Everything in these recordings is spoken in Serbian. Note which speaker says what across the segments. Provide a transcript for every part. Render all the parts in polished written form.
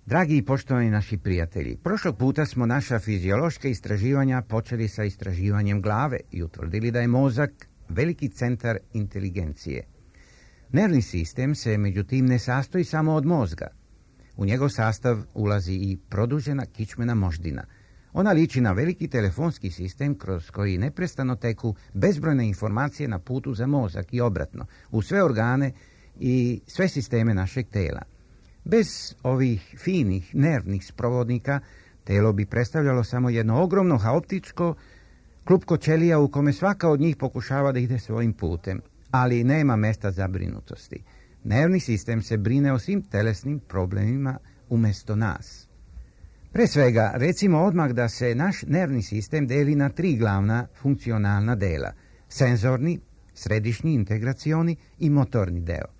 Speaker 1: Dragi i poštovani naši prijatelji, prošlog puta smo naša fiziološka istraživanja počeli sa istraživanjem glave i utvrdili da je mozak veliki centar inteligencije. Nervni sistem se međutim ne sastoji samo od mozga. U njegov sastav ulazi i produžena kičmena moždina. Ona liči na veliki telefonski sistem kroz koji neprestano teku bezbrojne informacije na putu za mozak i obratno, u sve organe i sve sisteme našeg tela. Bez ovih finih nervnih sprovodnika telo bi predstavljalo samo jedno ogromno haotičko klupko ćelija u kome svaka od njih pokušava da ide svojim putem, ali nema mesta zabrinutosti. Nervni sistem se brine o svim telesnim problemima umjesto nas. Pre svega, recimo odmah da se naš nervni sistem deli na 3 glavna funkcionalna dela: senzorni, središnji integracioni i motorni deo.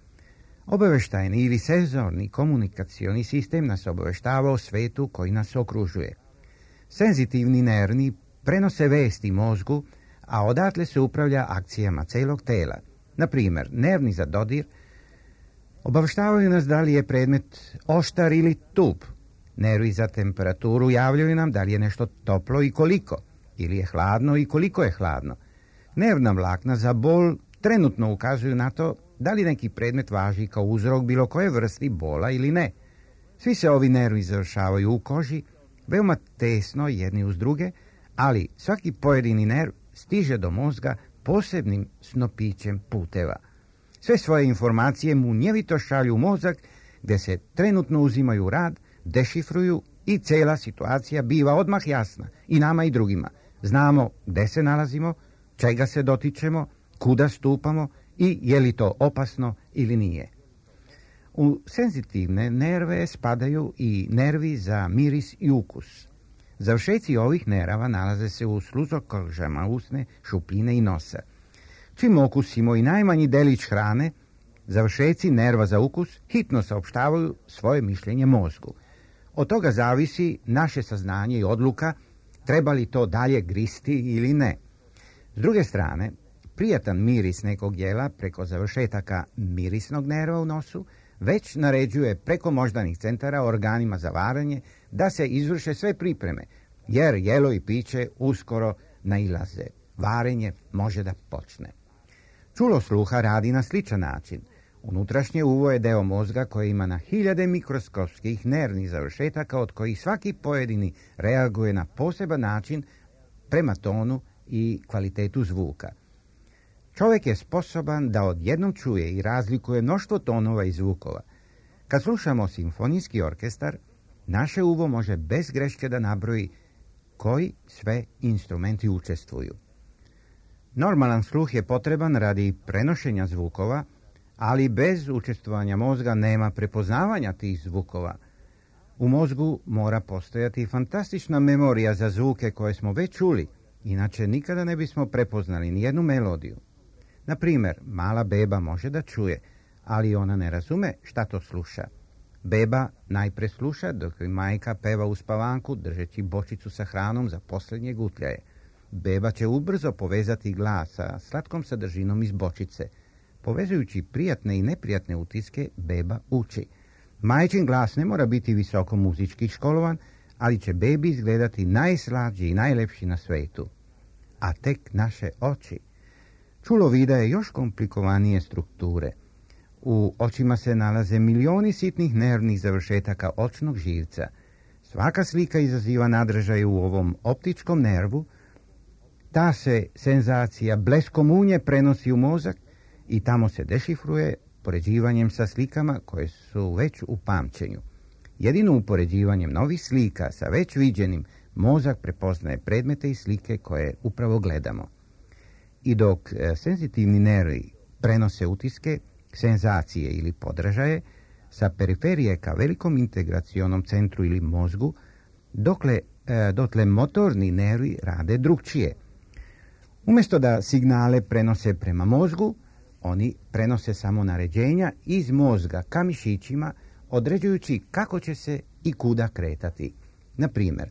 Speaker 1: Obaveštajni ili senzorni komunikacioni sistem nas obaveštava o svetu koji nas okružuje. Senzitivni nervni prenose vesti mozgu, a odatle se upravlja akcijama celog tela. Na primjer, nervni za dodir obaveštavaju nas da li je predmet oštar ili tup. Nervi za temperaturu javljaju nam da li je nešto toplo i koliko, ili je hladno i koliko je hladno. Nervna vlakna za bol trenutno ukazuju na to da li neki predmet važi kao uzrok bilo koje vrsti bola ili ne. Svi se ovi nervi završavaju u koži, veoma tesno jedni uz druge, ali svaki pojedini nerv stiže do mozga posebnim snopićem puteva. Sve svoje informacije munjevito šalju u mozak, gdje se trenutno uzimaju u rad, dešifruju i cela situacija biva odmah jasna i nama i drugima. Znamo gde se nalazimo, čega se dotičemo, kuda stupamo i je li to opasno ili nije. U senzitivne nerve spadaju i nervi za miris i ukus. Završeci ovih nerava nalaze se u sluzokožama usne, šupljine i nosa. Čim okusimo i najmanji delić hrane, završeci nerva za ukus hitno saopštavaju svoje mišljenje mozgu. Od toga zavisi naše saznanje i odluka treba li to dalje gristi ili ne. S druge strane, prijatan miris nekog jela preko završetaka mirisnog nerva u nosu već naređuje preko moždanih centara organima za varanje da se izvrše sve pripreme, jer jelo i piće uskoro nailaze. Varenje može da počne. Čulo sluha radi na sličan način. Unutrašnje uvo je deo mozga koji ima na hiljade mikroskopskih nervnih završetaka od kojih svaki pojedini reaguje na poseban način prema tonu i kvalitetu zvuka. Čovjek je sposoban da odjednom čuje i razlikuje mnoštvo tonova i zvukova. Kad slušamo simfonijski orkestar, naše uvo može bez greške da nabroji koji sve instrumenti učestvuju. Normalan sluh je potreban radi prenošenja zvukova, ali bez učestvovanja mozga nema prepoznavanja tih zvukova. U mozgu mora postojati fantastična memorija za zvuke koje smo već čuli, inače nikada ne bismo prepoznali nijednu melodiju. Na primjer, mala beba može da čuje, ali ona ne razume šta to sluša. Beba najpre sluša dok joj majka peva uspavanku držeći bočicu sa hranom za posljednje gutljaje. Beba će ubrzo povezati glas sa slatkom sadržinom iz bočice. Povezujući prijatne i neprijatne utiske, beba uči. Majčin glas ne mora biti visoko muzički školovan, ali će bebi izgledati najslađi i najlepši na svetu. A tek naše oči. Čulo vida je još komplikovanije strukture. U očima se nalaze milioni sitnih nervnih završetaka očnog živca. Svaka slika izaziva nadražaj u ovom optičkom nervu. Ta se senzacija bleskom unje prenosi u mozak i tamo se dešifruje poređivanjem sa slikama koje su već u pamćenju. Jedino upoređivanjem novih slika sa već viđenim mozak prepoznaje predmete i slike koje upravo gledamo. I dok senzitivni nervi prenose utiske, senzacije ili podražaje sa periferije ka velikom integracionom centru ili mozgu, dotle motorni nervi rade drugčije. Umjesto da signale prenose prema mozgu, oni prenose samo naređenja iz mozga ka mišićima, određujući kako će se i kuda kretati. Na primjer,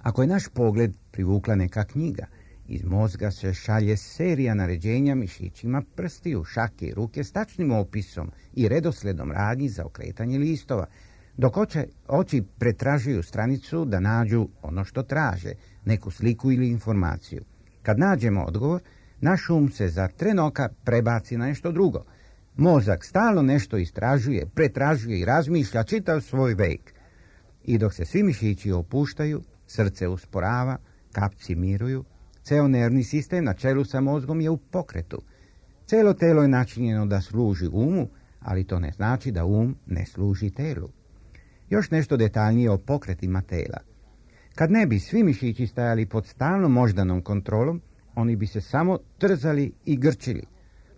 Speaker 1: ako je naš pogled privukla neka knjiga, iz mozga se šalje serija naređenja mišićima prstiju, šake i ruke s tačnim opisom i redosledom radnji za okretanje listova, dok oči pretražuju stranicu da nađu ono što traže, neku sliku ili informaciju. Kad nađemo odgovor, naš se za tren oka prebaci na nešto drugo. Mozak stalno nešto istražuje, pretražuje i razmišlja čitav svoj vek. I dok se svi mišići opuštaju, srce usporava, kapci miruju, ceo nervni sistem na čelu sa mozgom je u pokretu. Celo telo je načinjeno da služi umu, ali to ne znači da ne služi telu. Još nešto detaljnije o pokretima tela. Kad ne bi svi mišići stajali pod stalnom moždanom kontrolom, oni bi se samo trzali i grčili.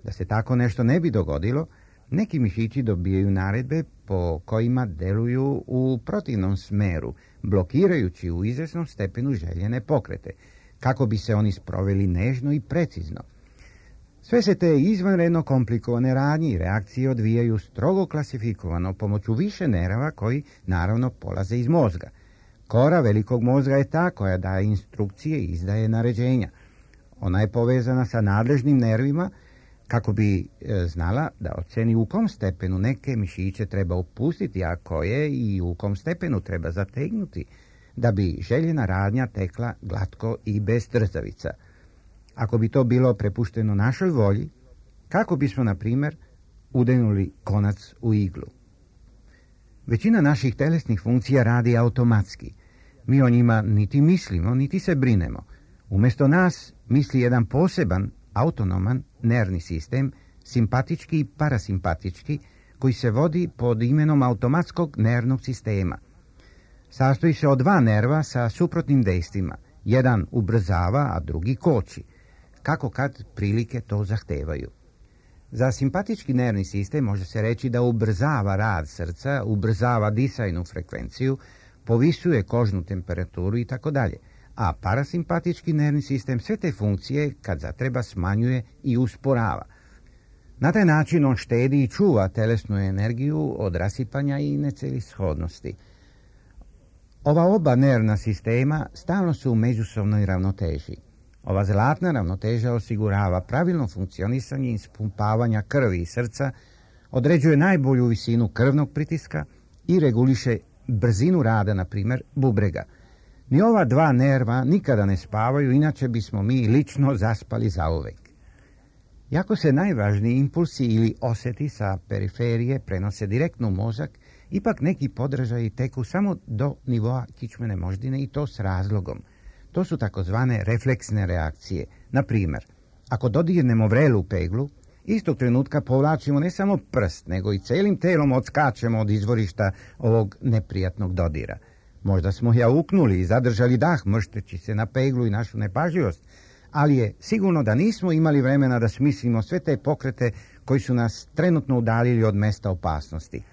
Speaker 1: Da se tako nešto ne bi dogodilo, neki mišići dobijaju naredbe po kojima deluju u protivnom smeru, blokirajući u izvjesnom stepenu željene pokrete, kako bi se oni sproveli nežno i precizno. Sve se te izvanredno komplikovane radnje i reakcije odvijaju strogo klasifikovano pomoću više nerava koji naravno polaze iz mozga. Kora velikog mozga je ta koja daje instrukcije i izdaje naređenja. Ona je povezana sa nadležnim nervima kako bi znala da oceni u kom stepenu neke mišiće treba opustiti, a koje i u kom stepenu treba zategnuti, da bi željena radnja tekla glatko i bez trzavica. Ako bi to bilo prepušteno našoj volji, kako bismo, na primjer, udenuli konac u iglu? Većina naših telesnih funkcija radi automatski. Mi o njima niti mislimo, niti se brinemo. Umjesto nas misli jedan poseban, autonoman nervni sistem, simpatički i parasimpatički, koji se vodi pod imenom automatskog nervnog sistema. Sastoji se od dva nerva sa suprotnim dejstvima. Jedan ubrzava, a drugi koči, kako kad prilike to zahtevaju. Za simpatički nervni sistem može se reći da ubrzava rad srca, ubrzava disajnu frekvenciju, povisuje kožnu temperaturu i tako dalje. A parasimpatički nervni sistem sve te funkcije kad zatreba smanjuje i usporava. Na taj način on štedi i čuva telesnu energiju od rasipanja i necelishodnosti. Ova oba nervna sistema stalno su u međusobnoj ravnoteži. Ova zlatna ravnoteža osigurava pravilno funkcionisanje i ispumpavanja krvi i srca, određuje najbolju visinu krvnog pritiska i reguliše brzinu rada, na primjer, bubrega. Ni ova dva nerva nikada ne spavaju, inače bismo mi lično zaspali zauvek. Iako se najvažniji impulsi ili osjeti sa periferije prenose direktno u mozak, ipak neki podražaji teku samo do nivoa kičmene moždine i to s razlogom. To su takozvane refleksne reakcije. Na primjer, ako dodirnemo vrelu peglu, istog trenutka povlačimo ne samo prst, nego i celim telom odskačemo od izvorišta ovog neprijatnog dodira. Možda smo jauknuli i zadržali dah, mršteći se na peglu i našu nepažljivost, ali je sigurno da nismo imali vremena da smislimo sve te pokrete koji su nas trenutno udaljili od mesta opasnosti.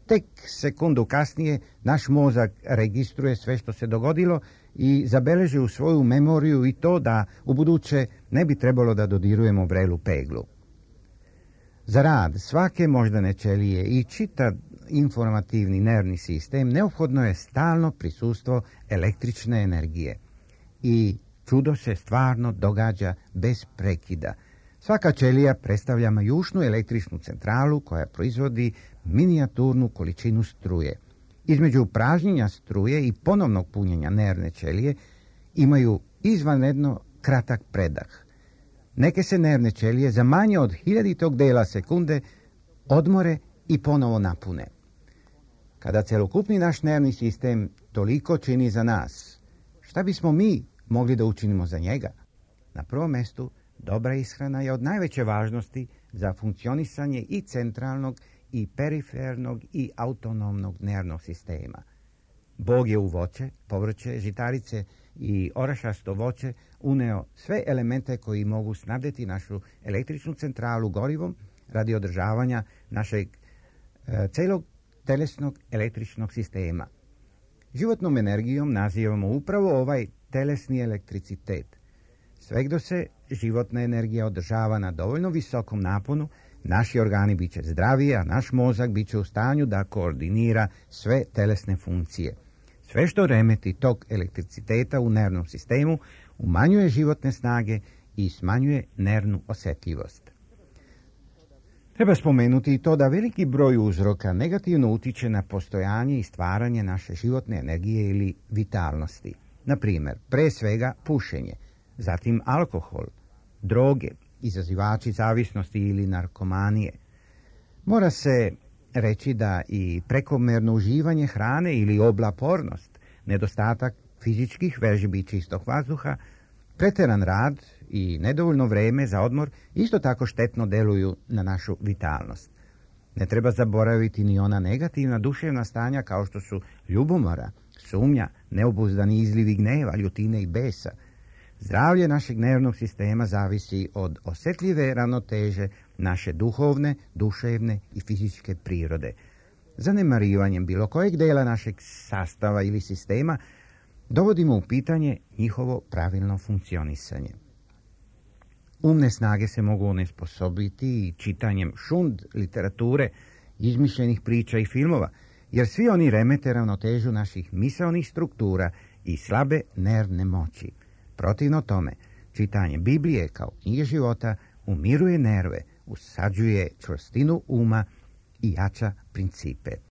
Speaker 1: Tek sekundu kasnije naš mozak registruje sve što se dogodilo i zabeleži u svoju memoriju i to da ubuduće ne bi trebalo da dodirujemo vrelu peglu. Za rad svake moždane ćelije i čitav informativni nervni sistem neophodno je stalno prisustvo električne energije. I čudo se stvarno događa bez prekida. Svaka ćelija predstavlja majušnu električnu centralu koja proizvodi minijaturnu količinu struje. Između pražnjenja struje i ponovnog punjenja nervne ćelije imaju izvanredno kratak predah. Neke se nervne ćelije za manje od 1/1000 dela sekunde odmore i ponovo napune. Kada celokupni naš nervni sistem toliko čini za nas, šta bismo mi mogli da učinimo za njega? Na prvom mjestu, dobra ishrana je od najveće važnosti za funkcionisanje i centralnog i perifernog i autonomnog nervnog sistema. Bog je u voće, povrće, žitarice i orašasto voće uneo sve elemente koji mogu snabdjeti našu električnu centralu gorivom radi održavanja našeg celog telesnog električnog sistema. Životnom energijom nazivamo upravo ovaj telesni elektricitet. Sve dok se životna energija održava na dovoljno visokom naponu, naši organi bit će zdraviji, a naš mozak bit će u stanju da koordinira sve telesne funkcije. Sve što remeti tok elektriciteta u nervnom sistemu umanjuje životne snage i smanjuje nervnu osjetljivost. Treba spomenuti i to da veliki broj uzroka negativno utiče na postojanje i stvaranje naše životne energije ili vitalnosti. Na primjer, pre svega pušenje, zatim alkohol, droge, izazivači zavisnosti ili narkomanije. Mora se reći da i prekomjerno uživanje hrane ili oblapornost, nedostatak fizičkih vežbi čistog vazduha, pretjeran rad i nedovoljno vreme za odmor isto tako štetno deluju na našu vitalnost. Ne treba zaboraviti ni ona negativna duševna stanja kao što su ljubomora, sumnja, neobuzdani izlivi gneva, ljutine i besa. Zdravlje našeg nervnog sistema zavisi od osjetljive ravnoteže naše duhovne, duševne i fizičke prirode. Zanemarivanjem bilo kojeg dela našeg sastava ili sistema dovodimo u pitanje njihovo pravilno funkcionisanje. Umne snage se mogu onesposobiti i čitanjem šund literature, izmišljenih priča i filmova, jer svi oni remete ravnotežu naših misaonih struktura i slabe nervne moći. Protivno tome, čitanje Biblije kao knjige života umiruje nerve, usađuje čvrstinu uma i jača principe.